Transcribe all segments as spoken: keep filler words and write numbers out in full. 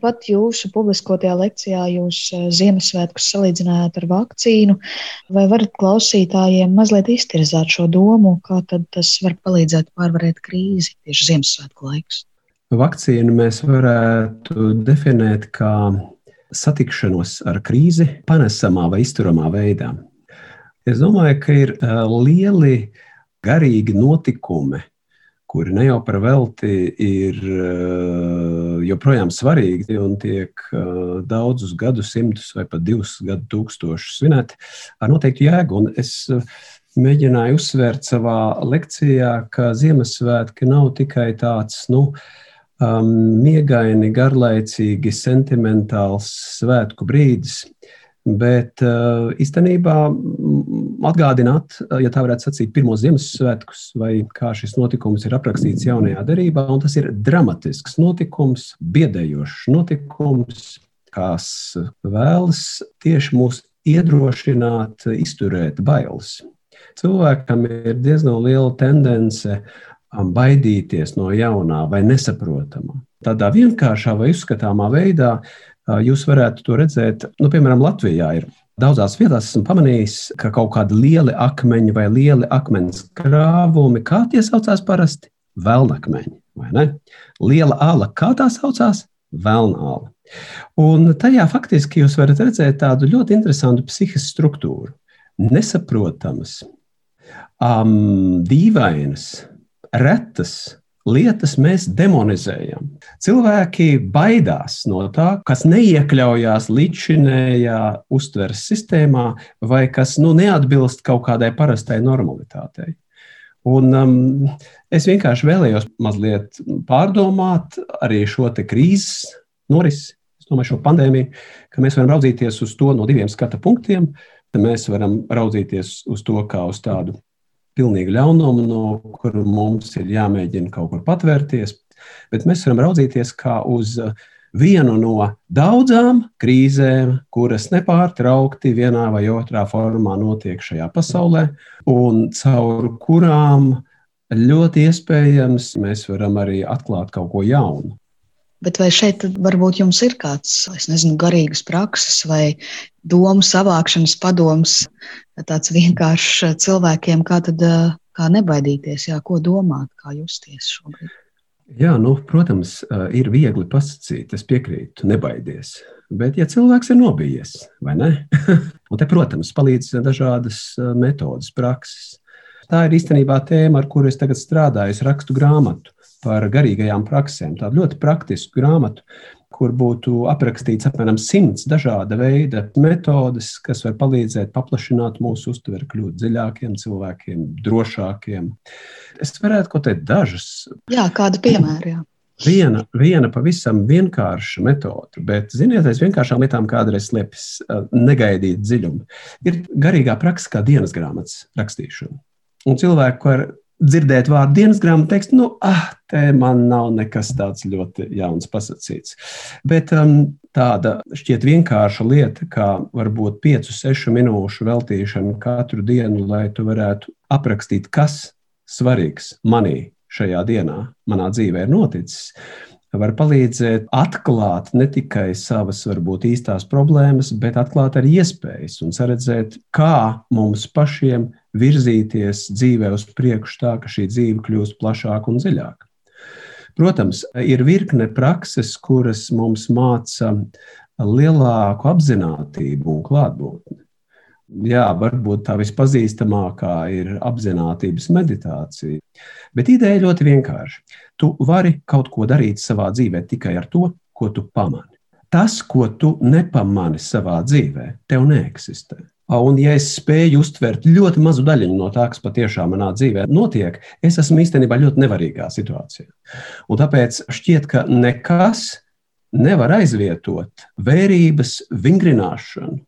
Pat jūsu publiskotajā lekcijā jūs Ziemassvētkus salīdzinājāt ar vakcīnu. Vai varat klausītājiem mazliet iztirzāt šo domu, kā tad tas var palīdzēt pārvarēt krīzi tieši Ziemassvētku laikus? Vakcīnu mēs varētu definēt kā satikšanos ar krīzi panesamā vai izturamā veidā. Es domāju, ka ir lieli garīgi notikumi, kuri ne jau par velti ir joprojām svarīgi un tiek daudzus gadsimtus vai pat divus gadu tūkstošus svinēti ar noteiktu jēgu. Un es mēģināju uzsvērt savā lekcijā, ka Ziemassvētki nav tikai tāds, nu, um, miegaini, garlaicīgi, sentimentāls svētku brīdis, bet uh, īstenībā atgādināt, ja tā varētu sacīt, pirmos Ziemassvētkus, vai kā šis notikums ir aprakstīts Jaunajā derībā, un tas ir dramatisks notikums, biedējošs notikums, kas vēlas tieši mūs iedrošināt, izturēt bailes. Cilvēkam ir diezgan liela tendence baidīties no jaunā vai nesaprotamā. Tādā vienkāršā vai uzskatāmā veidā jūs varētu to redzēt, nu, piemēram, Latvijā ir daudzās vietās esmu pamanījis, ka kaut kādi lieli akmeņi vai lieli akmens krāvumi, kā tie saucās parasti? Velnakmeņi, vai ne? Liela ala, kā tā saucās? Velna ala. Un tajā faktiski jūs varat redzēt tādu ļoti interesantu psihisku struktūru. Nesaprotamas, um, dīvainas, retas lietas mēs demonizējam. Cilvēki baidās no tā, kas neiekļaujās līdzšinējā uztveres sistēmā vai kas nu, neatbilst kaut kādai parastai normalitātei. Un um, es vienkārši vēlējos mazliet pārdomāt arī šo te krīzes norisi, es domāju, šo pandēmiju, ka mēs varam raudzīties uz to no diviem skata punktiem. Mēs varam raudzīties uz to kā uz tādu pilnīgu ļaunumu, no kuru mums ir jāmēģina kaut kur patvērties, bet mēs varam raudzīties kā uz vienu no daudzām krīzēm, kuras nepārtraukti vienā vai otrā formā notiek šajā pasaulē, un caur kurām ļoti iespējams mēs varam arī atklāt kaut ko jaunu. Bet vai šeit varbūt jums ir kāds, es nezinu, garīgas prakses vai domu savākšanas padoms, tāds vienkāršs cilvēkiem, kā tad, kā nebaidīties, jā, ko domāt, kā justies šobrīd? Jā, nu, protams, ir viegli pasakīt, es piekrītu, nebaidies. Bet ja cilvēks ir nobijies, vai ne? Un te, protams, palīdz dažādas metodas, prakses. Tā ir īstenībā tēma, ar kuru es tagad strādāju, es rakstu grāmatu par garīgajām praksēm, tādu ļoti praktisku grāmatu, kur būtu aprakstīts apmēram simts dažāda veida metodes, kas var palīdzēt paplašināt mūsu uztveri, kļūt dziļākiem cilvēkiem, drošākiem. Es varētu kaut teikt dažas. Jā, kāda piemēra, jā. Viena, viena pavisam vienkārša metode, bet, ziniet, aiz vienkāršām lietām kādreiz slēpjas negaidīt dziļumu. Ir garīgā praksa kā dienas grāmatas rakstīšana. Un cilvēku var dzirdēt vārdu dienas grāmatu, teiks, nu, ah, te man nav nekas tāds ļoti jauns pasacīts. Bet um, tāda šķiet vienkārša lieta, kā varbūt piecu, sešu minūšu veltīšana katru dienu, lai tu varētu aprakstīt, kas svarīgs manī šajā dienā, manā dzīvē ir noticis, var palīdzēt atklāt ne tikai savas, varbūt, īstās problēmas, bet atklāt arī iespējas un saredzēt, kā mums pašiem virzīties dzīvē uz priekšu tā, ka šī dzīve kļūst plašāka un dziļāka. Protams, ir virkne prakses, kuras mums māca lielāku apzinātību un klātbūtni. Jā, varbūt tā vispazīstamākā ir apzinātības meditācija, bet ideja ļoti vienkārši. Tu vari kaut ko darīt savā dzīvē tikai ar to, ko tu pamani. Tas, ko tu nepamani savā dzīvē, tev neeksistē. Un ja es spēju uztvert ļoti mazu daļiņu no tā, kas patiešām manā dzīvē notiek, es esmu īstenībā ļoti nevarīgā situācijā. Un tāpēc šķiet, ka nekas nevar aizvietot vērības vingrināšanu.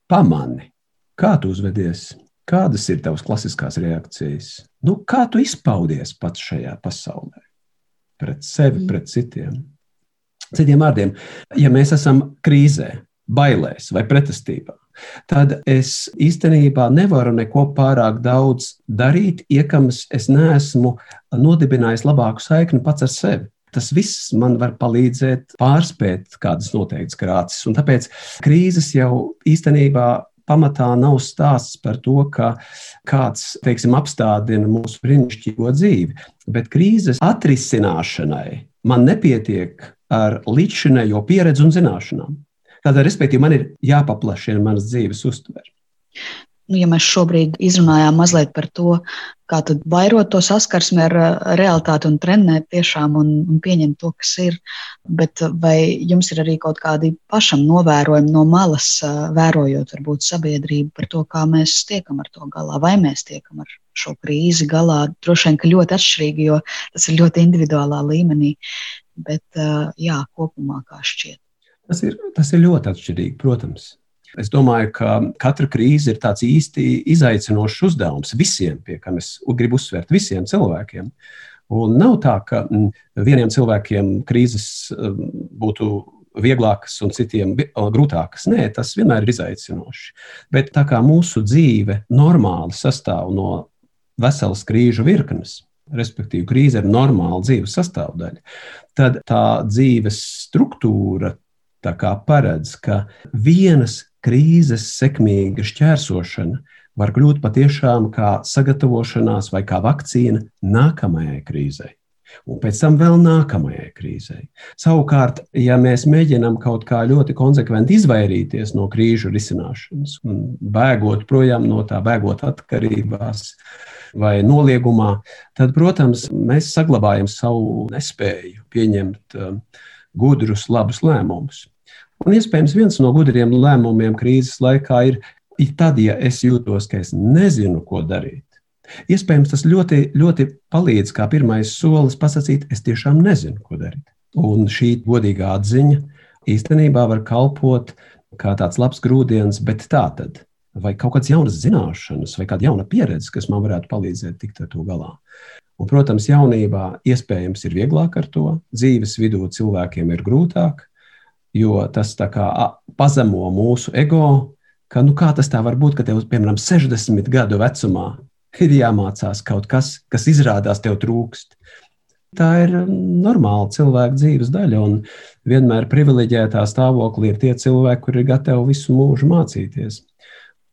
Pamani, kā tu uzvedies, kādas ir tavas klasiskās reakcijas, nu, kā tu izpaudies pats šajā pasaulē, pret sevi, pret citiem. Citiem vārdiem, ja mēs esam krīzē, bailēs vai pretestībā, tad es īstenībā nevaru neko pārāk daudz darīt, iekams es neesmu nodibinājis labāku saikni pats ar sevi. Tas viss man var palīdzēt pārspēt kādas noteiktas krāces. Un tāpēc krīzes jau īstenībā pamatā nav stāsts par to, ka kāds, teiksim, apstādina mūsu brīnišķīgo dzīvi, bet krīzes atrisināšanai man nepietiek ar līdzšinējo pieredzi un zināšanām. Tātad, respektīvi, man ir jāpaplašina manas dzīves uztvere. Nu, ja mēs šobrīd izrunājām mazliet par to, kā tad vairot to saskarsmi ar realitāti un trenēt tiešām un, un pieņemt to, kas ir, bet vai jums ir arī kaut kādi pašam novērojumi no malas, vērojot varbūt sabiedrību par to, kā mēs tiekam ar to galā, vai mēs tiekam ar šo krīzi galā? Droši vien, ka ļoti atšķirīgi, jo tas ir ļoti individuālā līmenī, bet jā, kopumā kā šķiet. Tas ir, tas ir ļoti atšķirīgi, protams. Es domāju, ka katra krīze ir tāds īsti izaicinošs uzdevums visiem, pie kā es gribu uzsvērt, visiem cilvēkiem. Un nav tā, ka vieniem cilvēkiem krīzes būtu vieglākas un citiem grūtākas. Nē, tas vienmēr ir izaicinoši. Bet tā kā mūsu dzīve normāli sastāv no veselas krīžu virknes, respektīvi krīze ir normāla dzīves sastāvdaļa, tad tā dzīves struktūra tā kā paredz, ka vienas krīzes sekmīga šķērsošana var kļūt patiešām kā sagatavošanās vai kā vakcīna nākamajai krīzei. Un pēc tam vēl nākamajai krīzei. Savukārt, ja mēs mēģinām kaut kā ļoti konsekventi izvairīties no krīžu risināšanas, un bēgot projām no tā, bēgot atkarībās vai noliegumā, tad, protams, mēs saglabājam savu nespēju pieņemt uh, gudrus, labus lēmumus. Un iespējams viens no gudriem lēmumiem krīzes laikā ir, ir tad, ja es jūtos, ka es nezinu, ko darīt. Iespējams, tas ļoti, ļoti palīdz kā pirmais solis pasakīt, es tiešām nezinu, ko darīt. Un šī godīgā atziņa īstenībā var kalpot kā tāds labs grūdienis, bet tā tad, vai kaut kādas jaunas zināšanas, vai kāda jauna pieredze, kas man varētu palīdzēt tikt ar to galā. Un, protams, jaunībā iespējams ir vieglāk ar to, dzīves vidū cilvēkiem ir grūtāk, jo tas tā kā pazemo mūsu ego, ka nu kā tas tā var būt, ka tev, piemēram, sešdesmit gadu vecumā ir jāmācās kaut kas, kas izrādās tev trūkst. Tā ir normāla cilvēka dzīves daļa, un vienmēr privileģētā stāvoklī ir tie cilvēki, kuri ir gatavi visu mūžu mācīties.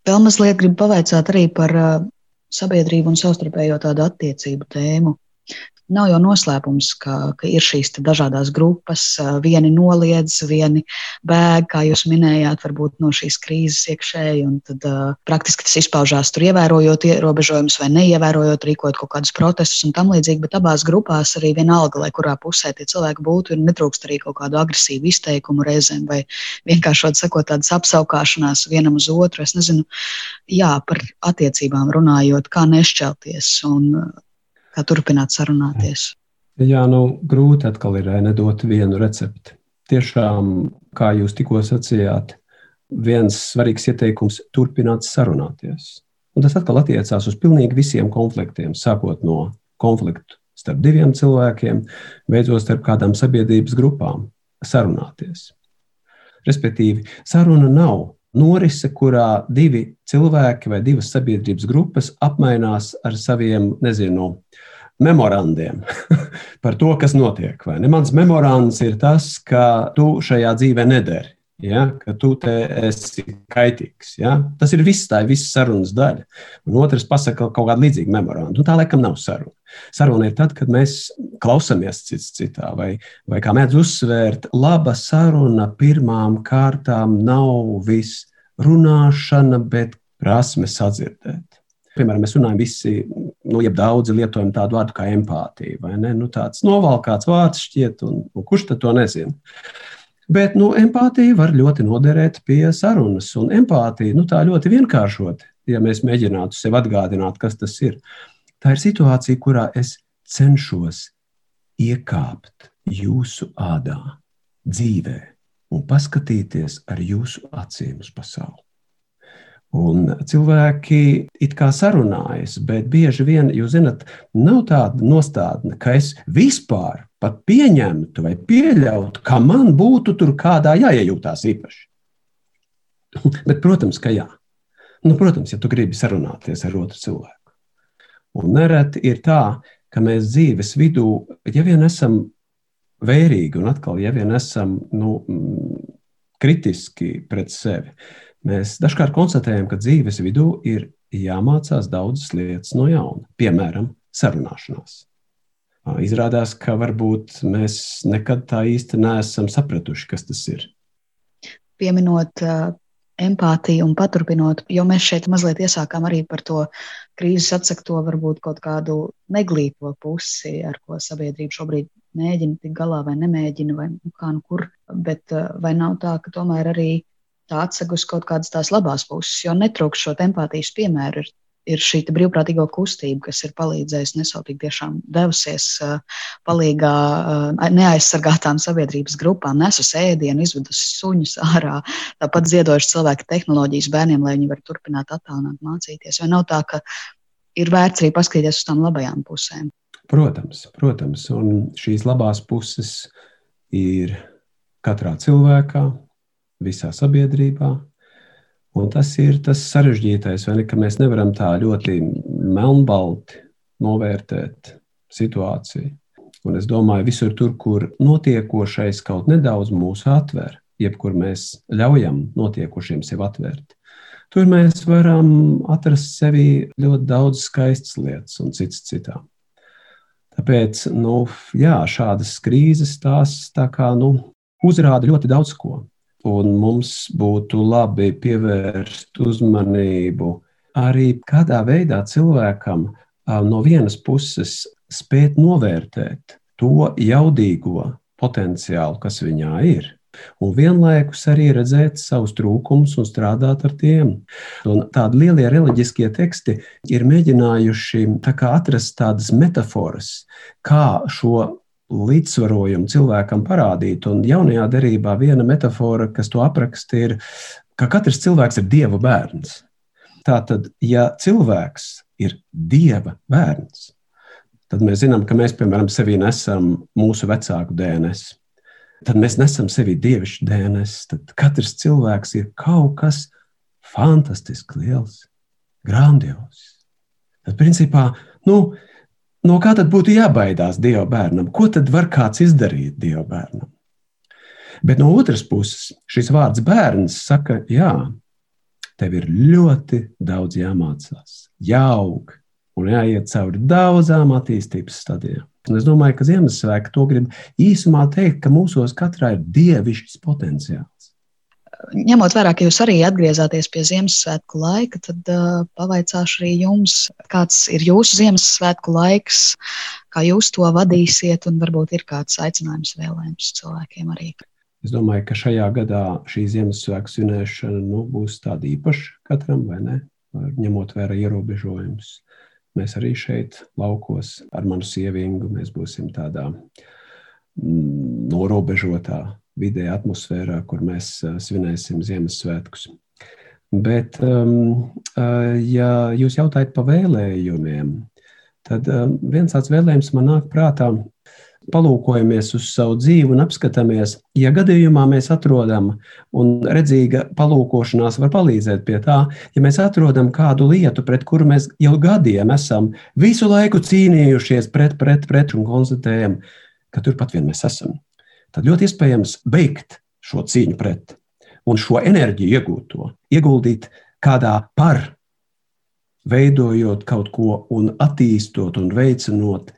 Vēl mazliet gribu pavaicāt arī par sabiedrību un savstarpējo tādu attiecību tēmu. Nav jau noslēpums, ka, ka ir šīs dažādas grupas, vieni noliedz, vieni bēg, kā jūs minējāt, varbūt no šīs krīzes iekšēji, un tad uh, praktiski tas izpaužās tur ievērojot ierobežojumus vai neievērojot, rīkot kaut kādus protestus un tam līdzīgi, bet abās grupās arī vienalga, lai kurā pusē tie cilvēki būtu, ir netrūkst arī kaut kādu agresīvu izteikumu reizēm vai vienkāršot sakot tādas apsaukāšanās vienam uz otru. Es nezinu, jā, par attiecībām runājot, kā nešķelties un kā turpināt sarunāties. Jā, nu, grūti atkal ir nedot vienu recepti. Tiešām, kā jūs tikko sacījāt, viens svarīgs ieteikums – turpināt sarunāties. Un tas atkal attiecās uz pilnīgi visiem konfliktiem, sākot no konfliktu starp diviem cilvēkiem, beidzot starp kādām sabiedrības grupām sarunāties. Respektīvi, saruna nav norise, kurā divi cilvēki vai divas sabiedrības grupas apmainās ar saviem, nezinu, memorandiem par to, kas notiek. Vai ne? Mans memorands ir tas, ka tu šajā dzīvē nederi, ja? Ka tu te esi kaitīgs. Ja? Tas ir viss, tā ir viss sarunas daļa. Un otrs pasaka kaut kādu līdzīgu memorandu. Un tā laikam nav saruna. Saruna ir tad, kad mēs klausamies cits citā, vai, vai kā mēdz uzsvērt, laba saruna pirmām kārtām nav viss runāšana, bet prasme sadzirdēt. Piemēram, mēs runājam visi, nu, jeb daudzi lietojam tādu vārdu kā empātija, vai ne? Nu, tāds novalkāts vārds šķiet, un, un kurš tad to nezina? Bet, nu, empātija var ļoti noderēt pie sarunas, un empātija, nu, tā ļoti vienkāršot, ja mēs mēģinātu sev atgādināt, kas tas ir. Tā ir situācija, kurā es cenšos iekāpt jūsu ādā, dzīvē, un paskatīties ar jūsu acīm uz pasauli. Un cilvēki it kā sarunājas, bet bieži vien, jūs zinat, nav tāda nostādne, ka es vispār pat pieņemtu vai pieļautu, ka man būtu tur kādā jāiejūtās īpaši. Bet, protams, ka jā. Nu, protams, ja tu gribi sarunāties ar otru cilvēku. Un nereti ir tā, ka mēs dzīves vidū, ja vien esam vērīgi un atkal, ja vien esam nu, kritiski pret sevi, mēs dažkārt konstatējam, ka dzīves vidū ir jāmācās daudzas lietas no jauna, piemēram, sarunāšanās. Izrādās, ka varbūt mēs nekad tā īsti neesam sapratuši, kas tas ir. Pieminot uh, empātiju un paturpinot, jo mēs šeit mazliet iesākām arī par to krīzes atsegto varbūt kaut kādu neglīto pusi, ar ko sabiedrība šobrīd mēģina tik galā vai nemēģina, vai nu kā nu kur, bet uh, vai nav tā, ka tomēr arī tā atsegus kaut kādas tās labās puses, jo netrūkst šo empātijas piemēru ir, ir šī brīvprātīgo kustība, kas ir palīdzējusi nesautīgi tiešām devusies uh, palīgā uh, neaizsargātām sabiedrības grupām, nesus ēdienu, izvedusi suņus ārā, tāpat ziedojuši cilvēki tehnoloģijas bērniem, lai viņi var turpināt attālināt mācīties. Vai nav tā, ka ir vērts arī paskatīties uz tām labajām pusēm? Protams, protams, un šīs labās puses ir katrā cilvēkā, visā sabiedrībā, un tas ir tas sarežģītais, vai ne, ka mēs nevaram tā ļoti melnbalti novērtēt situāciju. Un es domāju, visur tur, kur notiekošais kaut nedaudz mūs atver, jebkur mēs ļaujam notiekošiem sev atvērt, tur mēs varam atrast sevi ļoti daudz skaistas lietas un cits citā. Tāpēc, nu, jā, šādas krīzes tās tā kā, nu, uzrāda ļoti daudz ko. Un mums būtu labi pievērst uzmanību arī kādā veidā cilvēkam no vienas puses spēt novērtēt to jaudīgo potenciālu, kas viņā ir, un vienlaikus arī redzēt savus trūkumus un strādāt ar tiem. Un tādi lielie reliģiskie teksti ir mēģinājuši tā kā atrast tādas metaforas, kā šo līdzsvarojumu cilvēkam parādīt, un jaunajā derībā viena metafora, kas to apraksta, ir, ka katrs cilvēks ir Dieva bērns. Tātad, ja cilvēks ir Dieva bērns, tad mēs zinām, ka mēs, piemēram, sevī nesam mūsu vecāku D N S. Tad mēs nesam sevī dievišķu D N S. Tad katrs cilvēks ir kaut kas fantastiski liels, grandios. Tad, principā, nu, no kā tad būtu jābaidās Dieva bērnam? Ko tad var kāds izdarīt Dieva bērnam? Bet no otras puses, šis vārds bērns saka, jā, tev ir ļoti daudz jāmācās, jāaug un jāiet cauri daudzām attīstības stadijām. Un es domāju, ka Ziemassvētki to grib īsumā teikt, ka mūsos katrā ir dievišķs potenciāls. Ņemot vērā, ka jūs arī atgriezāties pie Ziemassvētku laika, tad uh, pavaicāšu arī jums, kāds ir jūsu Ziemassvētku laiks, kā jūs to vadīsiet, un varbūt ir kāds aicinājums vēlējums cilvēkiem arī. Es domāju, ka šajā gadā šī Ziemassvētku svinēšana nu, būs tāda īpaša katram, vai ne? Ņemot vērā ierobežojumus. Mēs arī šeit laukos ar manu sievingu, mēs būsim tādā mm, norobežotā vidē atmosfērā, kur mēs svinēsim Ziemassvētkus. Bet, um, ja jūs jautājat pa vēlējumiem, tad um, viens tāds vēlējums man nāk prātā, palūkojamies uz savu dzīvi un apskatāmies, ja gadījumā mēs atrodam, un redzīga palūkošanās var palīdzēt pie tā, ja mēs atrodam kādu lietu, pret kuru mēs jau gadiem esam visu laiku cīnījušies pret, pret, pret un konstatējam, ka turpat vien mēs esam. Tad ļoti iespējams beigt šo cīņu pret un šo enerģiju iegūto, ieguldīt kādā par, veidojot kaut ko un attīstot un veicinot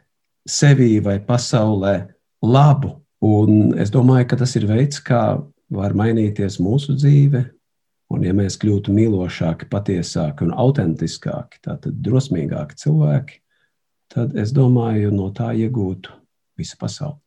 sevī vai pasaulē labu. Un es domāju, ka tas ir veids, kā var mainīties mūsu dzīve. Un ja mēs kļūtu mīlošāki, patiesāki un autentiskāki, tātad drosmīgāki cilvēki, tad es domāju, no tā iegūtu visa pasaule.